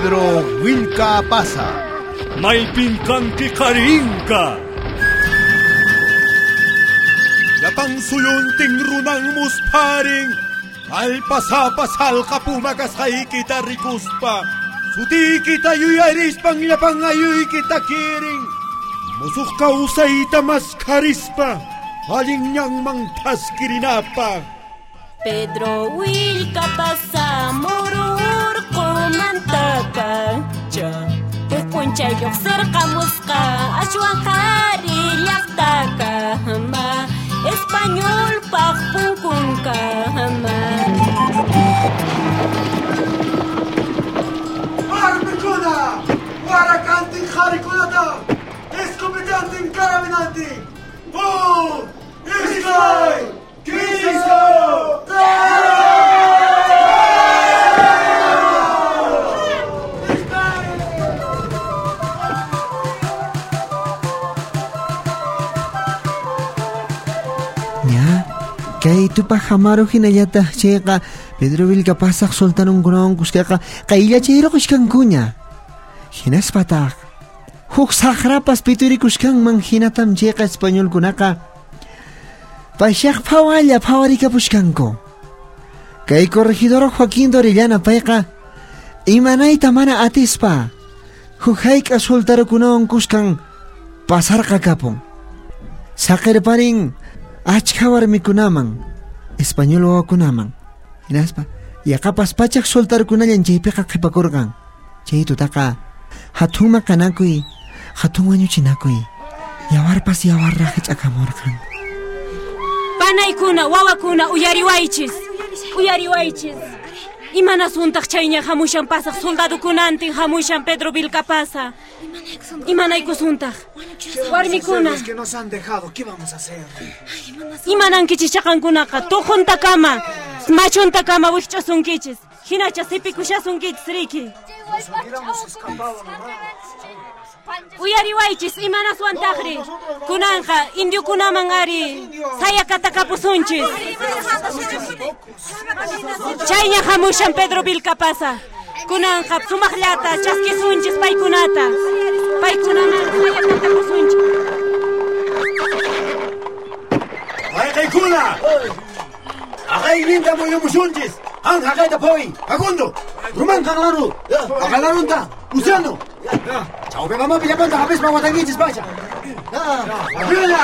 Pedro Vilca Pasa. Maypin kanki qarinka. Llapan suyuntin runan musparin. Allpasapa salqa puma kasqaykita rikuspa. Sutiykita yuyarispan llapan ayuykita kirin. Musuq kawsayta maskharispa. Allin ñanman thaskirinapaq. Pedro Vilcapasa mururqumantaka huk p'unchay lluqsirqamusqa ashwan qhari llaqtakama españolpaq punkunkama. Warmikuna, warakantin qharikunata, escopetantin carabinantin. ¡Huk! ¡Iskay! ¡Kimsa! Ña, kay Tupac Amaru hinallataq chayqa Pedro Vilcapasaq sultanunkunawan kuskaqa qayllachayruqushkankuña. Hinaspataq huk saqrapas piturikuskanman hinatam chayqa españolkunaqa payshaq phawalla phawarikapushkanku. Kay corregidor Joaquín de Orellana payqa imanayta mana atispa huk hayk'a sultarukunawan kuskan pasarqakapun. Saqirparin achka warmikunaman, español wawakunaman. Hinaspa yaqapas pachak sultarukunallan chaypiqa qhipakurqan. Chay tutaqa hatun maqanakuy, hatun wañuchinakuy, yawarpas yawarraq hich'akamurqan. Panaykuna, wawakuna, uyariwaychis, uyariwaychis. Imanasuntaq chayña hamushan pasaq soldadukunantin hamushan Pedro Vilcapasa. Imanaykusuntaq. Warmikuna. Que nos han dejado, ¿qué vamos a hacer? Imanankichis chaqankunaqa tuquntakama, machuntakama wikch'usunkichis. Hinacha sipikushasunkichis riki. Uyariwaychis imanaswantaqri. Kunanqa indiokunaman ari sayakatakapusunchis. Chayña hamushan Pedro Vilcapasa. Kunanqa sumaqllata chaskisunchis paykunata. Paykunaman sayakatapusunchis. ¡Wayqaykuna! ¡Aqayninta muyumusunchis! ¡Han haqayta phoy! ¡Facundo! ¡Rumán qanlaru! ¡Aqalarunta! ¡Luciano! ¡Chawpi mamapi llapanta hapispa watankichis pacha! ¡Arriba!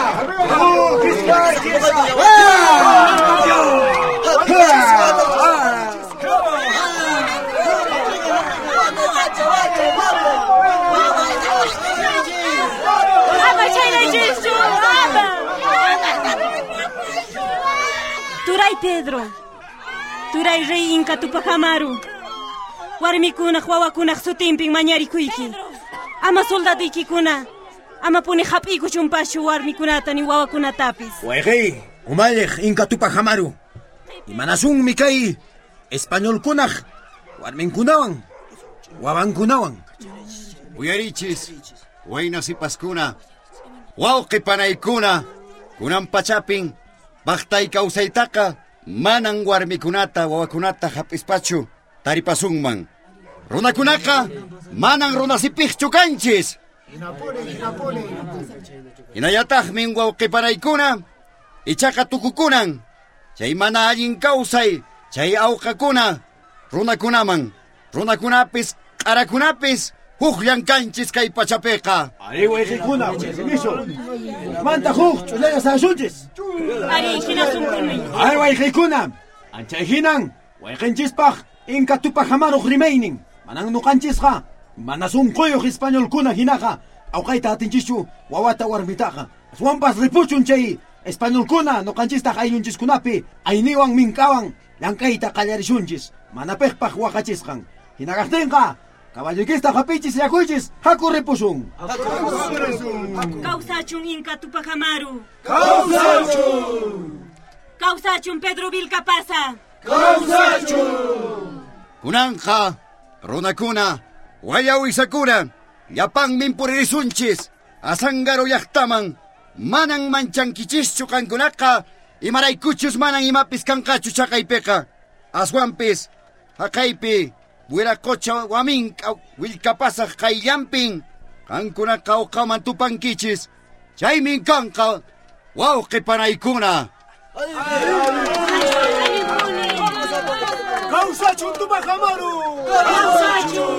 Ama chaynachischu! Ama! Turay Pedro, turay rey Inca Tupac Amaru, warmikunaq wawakunaq sutinpin mañarikuyki. Ama soldaduykikuna, ama puni hap'iykuchunpaschu warmikunata ni wawakunatapis. Wayqey, umalliq Inca Tupac Amaru. Imanasunmi kay españolkunaq warminkunawan, wawankunawan. Uyarichis, wayna sipaskuna, wawqi panaykuna, kunan pachapin, baqtay kawsaytaqa manan warmikunata wawakunata hap'ispachu taripasunman. Runakunaqa manan runasipiqchu kanchis. Hinallataqmin wawqi panaykuna, ichaqa tukukunan, chay mana allin kawsay, chay awqakuna, runakunaman, runakunapis, q'arakunapis, hukllan kanchis kay pachapiqa. Ari wayqikuna, wayqimishu. Manta huk ch'ullalla sasunchis. Ari hinasunkuni. Ari wayqikuna, anchay hinan, wayqinchispaq Inca Tupac Amaruq rimaynin. Manan nuqanchisqa, mana sunquyuq españolkuna hinaqa, awqayta atinchischu wawata warmitaqa. Aswanpas ripuchun chay españolkuna nuqanchistaq ayllunchiskunapi, ayniwan minkawan llank'ayta qallarishunchis, mana piqpaq waqachisqan. Hinaqtinqa, caballoykista hapichis yakuychis, haku ripusun. Kawsachun Inca Tupac Amaru. Kawsachun! Kawsachun Pedro Vilcapasa. Kawsachun! Kunanqa, runakuna, wayawisakuna, llapanmin puririsunchis, Azángaro llaqtaman, manan manchankichischu qankunaqa, imaraykuchus manan imapis kanqachu chaqaypiqa. Aswanpis, haqaypi, Wiraqocha waminka Willkapasaq qayllampin qankunaqa uqaman tupankichis. Chaymin kanqa wawqi panaykuna. Kawsachun Tupac Amaru! Kawsachun!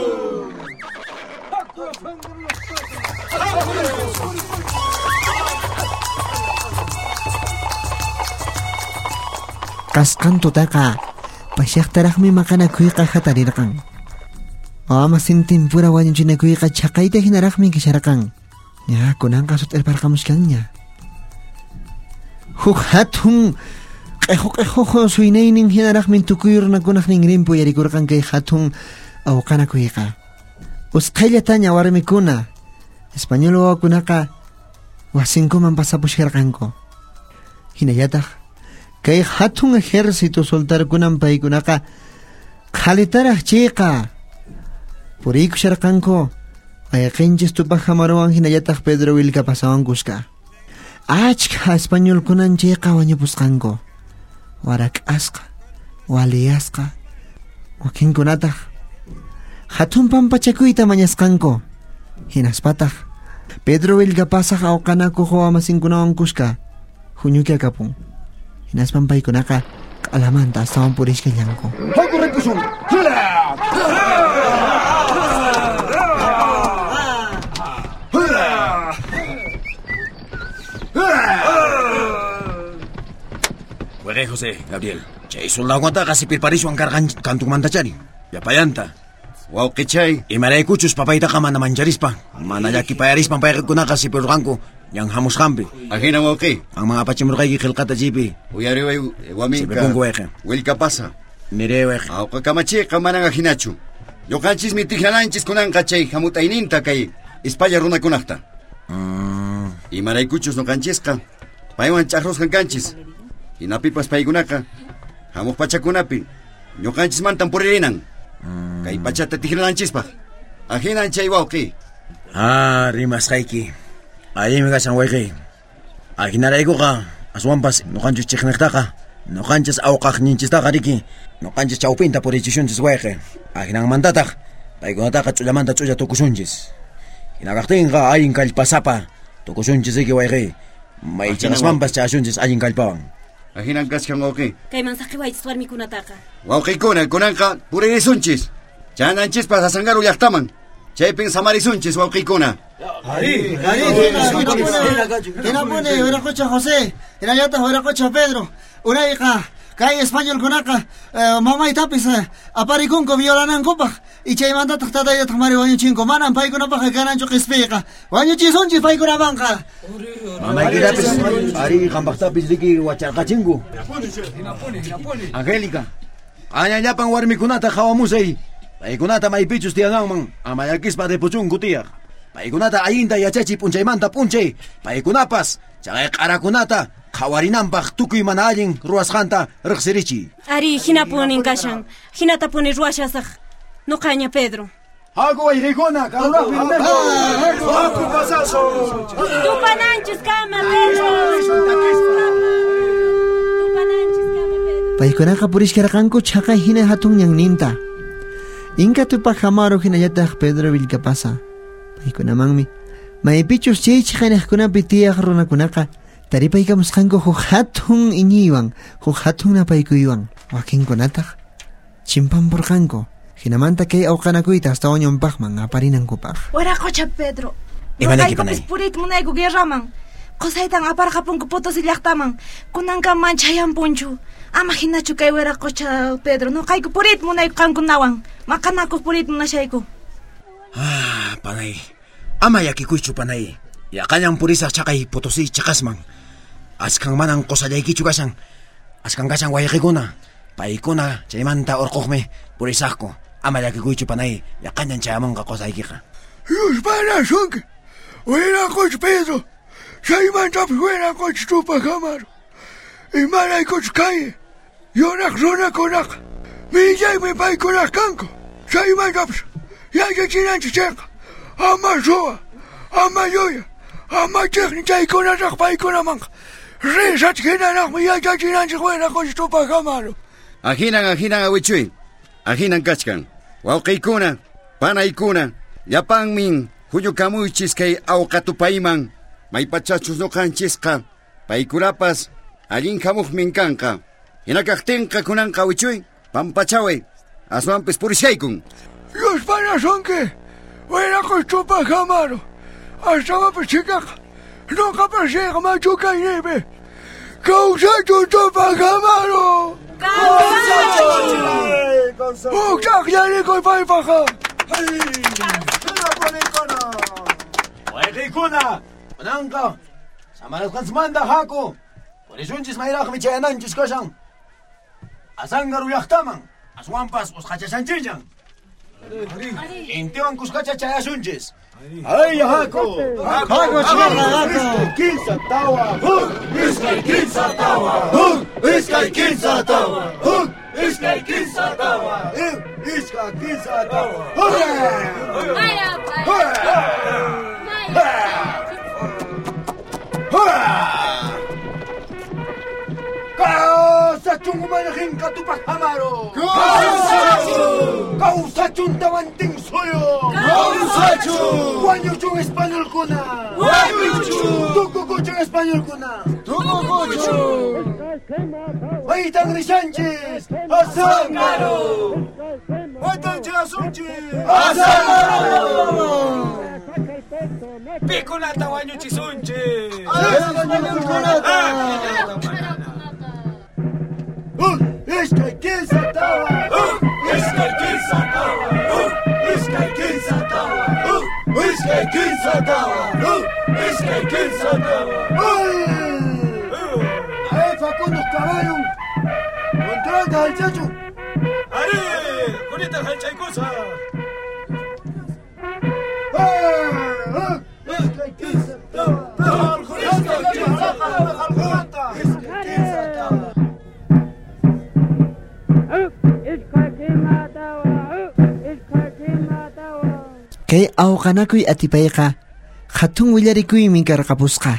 Kasqan tutaqa pashaqtaraqmi maqanakuyqa hatarirqan. Ama sintimpura wañuchinakuyqa chhaqayta hinaraqmi kasharqan. Ña kunanqa sut'irparqamushkanña. Huk hatun q'ejo suynaynin hinaraqmi tukuy runakunaq ninrinpi uyarikurqan kay hatun awqanakuyqa. Usqhayllataña warmikuna español wawakunaqa wasinkuman pasapushkarqanku. Hinallataq kay hatun ejército soltarkunan paykunaqa qhalitaraq chayqa puriykusharqanku ayqinchis Tupac Amaruwan hinallataq Pedro Willkapasawan kuska. Achka españolkunan chayqa wañupusqanku. Warak'asqa, waliyasqa, wakinkunataq hatun pampachakuyta mañasqanku. Hinaspataq Pedro Willkapasaq awqanakuq wawamasinkunawan kuska huñukakapun. Hinaspan paykunaqa q'alamanta astawan purishkallanku. Haku ripusun! Waqay José, Gabriel. Chay soldadukunataqa sipirpariswan karqan kantunmantachari. Llapallanta. Wawqichay. Imaraykuchus papaytaqa mana mancharispa, mana llakipayarispan paykunaqa sipirqanku ñan hamusqanpi. Ajina wawqi. Qanman apachimurqayki qillqata chaypi. Uyariway waminka. Sipipunku wayqi. Willkapasa. Nire wayqi. Awqa kamachiqa manan ajinachu. Ñuqanchismi tijrananchis kunanqa chay hamut'ayninta kay Ispaya runakunaqta. Imaraykuchus ñuqanchisqa paywan ch'aqrusqan kanchis. Hinapipas paykunaqa hamuq pachakunapi ñuqanchismantan puririnan. Kay pachata tijrananchispaq. Ajinan chay wawqi. Ah, rimasqayki. Allinmi kashan wayqi. Ajinaraykuqa aswanpas ñuqanchis chiqniqtaqa ñuqanchis awqaqninchistaqa riki ñuqanchis chawpinta purichishunchis wayqi. Ajinanmantataq paykunataqa ch'ullamanta ch'ulla tukusunchis. Hinakaqtinqa allin kallpasapa tukusunchis riki wayqi. Maychaqasmanpas chashunchis allin kallpawan. Ajinan kashkan wawqi. Kayman saqiwaychis warmikunataqa. Wawqikuna kunanqa puririsunchis. Chananchispas Asangaru llaqtaman. Chaypin samarisunchis wawqikuna. Ari, hinapuni Wiraqocha José, hinallataq Wiraqocha Pedro. Unayqa kay españolkunaqa mamaytapis aparikunku violanankupaq y chaymantataq tataytataq mari wañuchinku. Manan paykunapaqqa kananchu qispiyqa. Wañuchisunchis paykunamanqa. Mamaykitapis ari qampaqtapis riki wacharqachinku. Angélica, q'añallapan warmikunata qhawamusay. Paykunata maypichus tiyananman ama llakispa ripuchunku tiyaq. Paykunata allinta yachachiy p'unchaymanta p'unchay. Paykunapas chaqay q'arakunata qhawarinanpaq tukuy mana allin ruwasqanta riqsirichiy. Ari, hinapunin kashan. Hinatapuni ruwashasaq. Nuqaña Pedro. Haku wayqikuna, karuraqpi Haku pasaso. Tupananchis kama Pedro. Tupananchis kama Pedro. Paykunaqa purishkarqanku chhaqay hina hatun ñanninta. Inka Tupac Amaru hinallataq Pedro Willkapasa. Paykunamanmi maypichus chay chhaqanaqkunapi tiyaq runakunaqa taripaykamusqanku huk hatun iñiywan, huk hatun napaykuywan. Wakinkunataq chimpampurqanku. Hinamanta kay awqanakuyta astawan ñawpaqman aparinankupaq. Wiraqocha Pedro. Imanayki panay? Noqaykupis puriyta munayku guerraman. Qusaytan aparqapunku Potosí llaqtaman. Kunankaman chayampunchu. Ama hinachu kay Wiraqocha Pedro. Noqayku puriyta munayku qankunawan. Maqanakuq puriyta munashayku. Ah, panay. Ama llakikuychu panay. Yaqallan purisaq chaqay Potosí chaqasman. Achkan manan qusallaykichu kashan. Achkan kashan wayqikuna. Paykuna chaymanta urquqmi purisaqku. Ama llakikuychu panay. Yaqallan chayamunqa qusaykiqa. Yuspanasunki. Wiraqocha Pedro. Chaymantapis wiraqocha Tupac Amaru. Imaraykuchus kay yuraq runakunaqa millaymi paykunaq kanku. Chaymantapis yachachinanchis chayqa ama suwa, ama llulla, ama chiqni chaykunataq paykunamanqa risach hinaraqmi yachachinanchis wiraqocha Tupac Amaru. Ajinan, ajinan awichuy. Ajinan kachkan. Wawqiykuna, panaykuna, llapanmin huñukamuychis kay awqatupayman, maypachachus ñuqanchisqa, paykunapas allin hamuqmin kanqa. Hinakaqtinqa kunanqa wichuy, pampachaway, aswanpis purishaykun. Dios panasunki, wiraqocha Tupac Amaru, astawanpas chhikaqa, nuqapas riyqa machukayniypi. Kawsachun Tupac Amaru! Kawsachun! Huk ch'aqllarikuy paypaqqa! Wayqiykuna, kunanqa samarasqanchikmanta haku. Purisunchis mayraqmi chayananchis kashan. Asangaru llaqtaman, aswanpas usqhachashanchillan. Intiwan kuskacha chayasunchis. Ay, haku! Haku, chhikaqa, haku! Iskay kinsa tawa, huk! Iskay kinsa tawa, huk! Iskay kinsa tawa, huk! Iskay kinsa tawa, huk! Iskay kinsa tawa, huk! Kawsachun umalliqinqa Tupac Amaru! Kawsachun! Kawsachun Tawantinsuyu! Kawsachun! Wañuchun españolkuna! Wañuchun! Tukukuchun españolkuna! Tukukuchun! Maytan rishanchis! Azángaro! Maytan chayasunchis! Azángaro! Pikunata wañuchisunchis! Españolkunata! Huk, iskay, kinsa, tawa! Huk, iskay, kinsa, tawa! Huk, iskay, kinsa, tawa! Huk, iskay, kinsa, tawa! Huk, iskay, kinsa, tawa! ¡Ay, Facundo caballo! ¡Contrata al chacho! ¡Ari! ¡Kunita halchaykusa! ¡Huk, iskay, kinsa, tawa! Iskay, kinsa, tawa! Iskay, kinsa, tawa! Kay awqanakuy atipayqa hatun willarikuymi karqapusqa.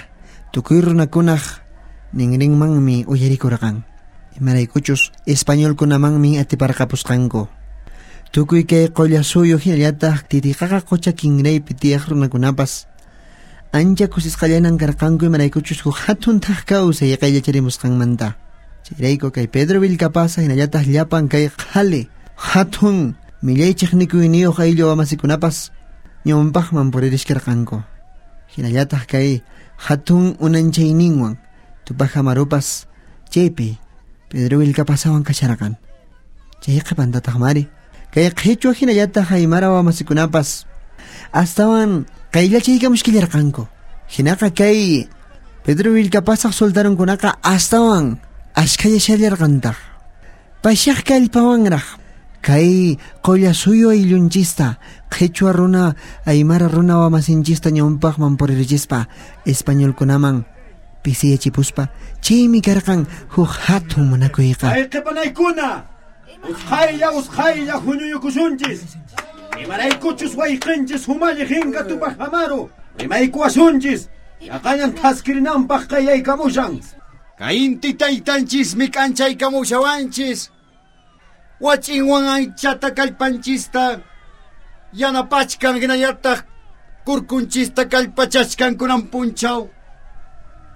Tukuy runakunaq ninrinmanmi uyarikurqan. Imaraykuchus españolkunamanmi atiparqapusqanku. Tukuy kay Qollasuyu hinallataq Titiqaqa qucha kinraypi tiyaq runakunapas ancha kusisqallanan karqanku imaraykuchus huk hatun thak kawsay qayllacharimusqanmanta. Chayrayku kay Pedro Vilcapasa hinallataq llapan kay qhali hatun millay chiqnikuyniyuq ayllu wamasikunapas ñawpaqman puririshkarqanku. Hinallataq kay hatun unanchayninwan Tupac Amarupas chaypi Pedro Vilcapasawan kasharqan. Chay qhipantataq mari kay qhichwa hinallataq aymara wamasikunapas astawan qayllachaykamushkillarqanku. Hinaqa kay Pedro Vilcapasaq soltarunkunaqa astawan ashkhayashallarqantaq. Pashaq kallpawanraq kay Qollasuyu ayllunchista qhichwa runa aymara runa wamasinchista ñawpaqman puririchispa españolkunaman pisiyachipuspa chaymi karqan huk hatun munakuyqa. ¡Ay, qhipanaykuna! Usqhaylla, usqhaylla huñuyukusunchis! Imaraykuchus wayqinchis umalliqinqa Tupac Amaru! Rimaykuwasunchis! Yaqañan thaskirinanpaq qayaykamushan! Kay inti taytanchismi k'anchaykamushawanchis. Wach'inwan anchata kallpanchista yanapachkan hinallataq kurkunchista kallpachachkan kunan punchaw.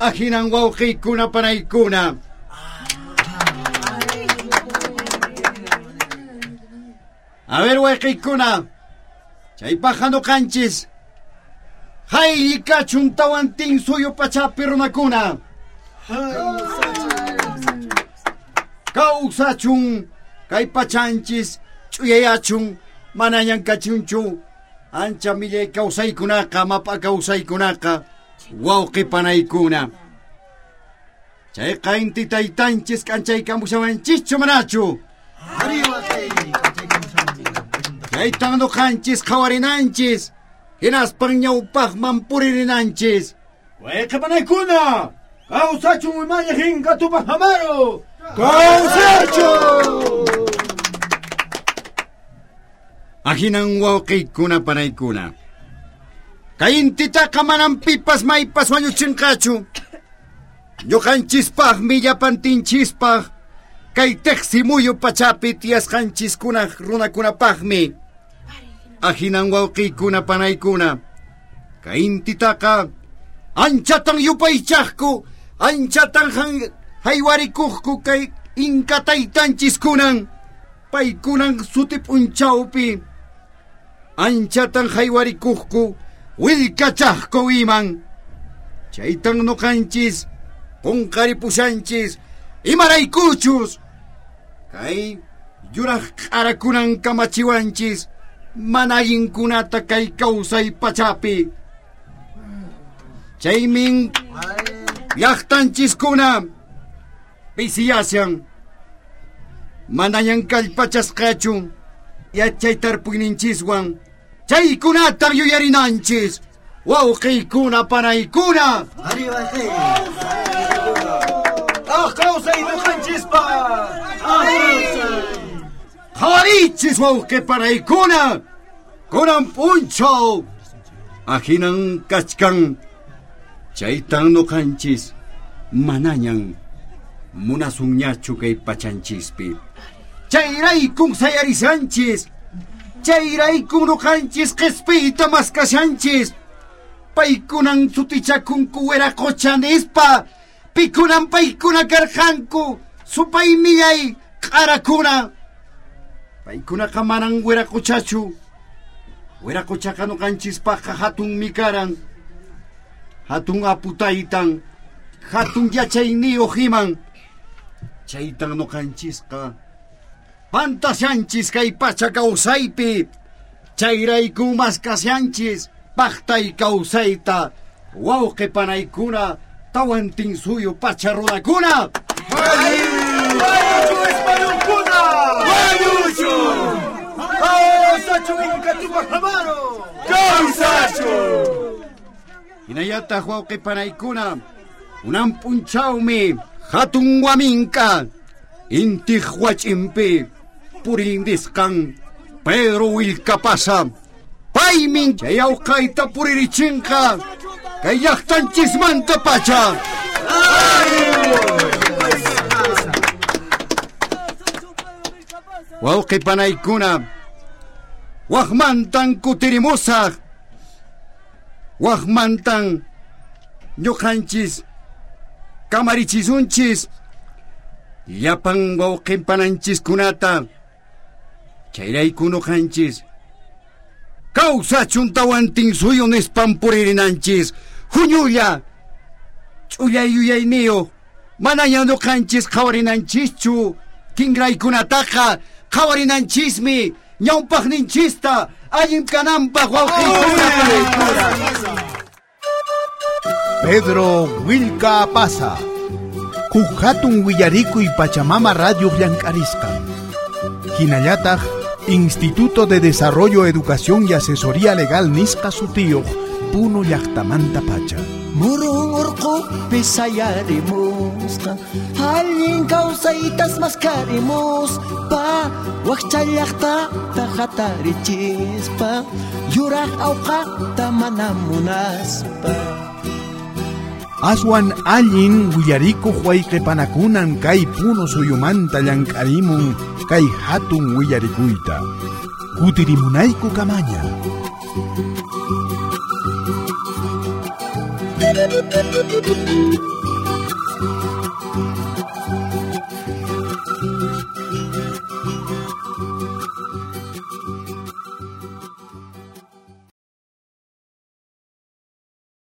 Ahinan wawqiykuna panaykuna. A ver wayqiykuna, chaypaqqa ñuqanchis haylli kachun Tawantinsuyu pachapi runakuna. Kawsachun kay pachanchis ch'uyayachun manañan kachunchu ancha millay kawsaykunaqa map'a kawsaykunaqa wawqi panaykuna. Chayqa inti taytanchis k'anchaykamushawanchischu manachu? Chaytan ñuqanchis qhawarinanchis hinaspan ñawpaqman puririnanchis. Wayqi panaykuna! Kawsachun umalliqinqa Tupac Amaru! Kawsachun! Ahinan wawqiykuna panaykuna. Kay intitaqa manam pipas maypas wañuchinqachu. Ñuqanchispaqmi llapantinchispaq Kay teqsimuyu pachapi tiyasqanchiskunaq runakunapaqmi. Ahinan wawqiykuna panaykuna. Kay intitaqa anchatan yupaychaqku, anchatan haywarikuqku kay inka taytanchiskunan. Paykunan suti p'unchawpi. Anchatan haywarikuqku, willkachaqku iman. Chaytan nuqanchis, qunqaripushanchis, imaraykuchus. Kay yuraq q'arakunan kamachiwanchis, mana allinkunata kay kawsay pachapi. Chaymin llaqtanchiskuna pisiyashan. Manañan kallpachasqachu yachay tarpuyninchiswan. Chaykunatan yuyarinanchis. Wawqiykuna panaykuna. ¡Ah, kawsay nuqanchispa! Qhawarichis wawqi panaykuna. Kunan p'unchaw. Ahinan kachkan. Chaytan nuqanchis manañan munasunñachu kay pachanchispi. Chayraykun sayarishanchis. Chayraykun nuqanchis qhispiyta maskashanchis. Paykunan sutichakunku wiraqocha nispa. Pikunan paykuna karqanku. Supay millay q'arakuna. Paykunaqa manan wiraqochachu. Wiraqochaqa nuqanchispaqqa hatunmi karan. Hatun aputaytan. Hatun yachayniyuq iman. Chaytan nuqanchisqa pantashanchis kay pacha kawsaypi. Chayrayku maskashanchis paqtay kawsayta. Wawqi panaykuna tawantinsuyu pacha runakuna. ¡Wañuchu españolkuna! ¡Wañuchu! ¡Kawsachu Inka Tupac Amaru! ¡Kawsachu! Hinallataq wawqi panaykuna unan p'unchawmi hatun waminka intiq wach'inpi purindisqan Pedro Willkapasa. Paymin chay awqayta puririchinqa kay llaqtanchismanta pacha. Wawqi panaykuna waqmantan kutirimusaq. Waqmantan ñuqanchis kamarichisunchis llapan wawqinpananchiskunata. Chayrayku nuqanchis kawsachun tawantinsuyu nispan puririnanchis. Huñulla ch'ullay yuyayniyuq manaña nuqanchis qhawarinanchischu. Kinraykunataqa qhawarinanchismi ñawpaqninchista allin kananpaq wawqiykuna panaykuna. Pedro Willkapasa. Huk hatun willarikuy Pachamama Radio llank'arisqan. Hinallataq Instituto de Desarrollo, Educación y Asesoría Legal nisqa sutiyuq Puno llaqtamanta pacha. Murun urqupi sayarimusqa, allin kawsaytas maskarimuspa, wakcha llaqtata hatarichispa, yuraq awqata mana munaspa. Aswan allin willarikuq wayqipanakunan kay Puno suyumanta llank'arimun kay hatun willarikuyta. Kutirimunayku kamaña. Thank you.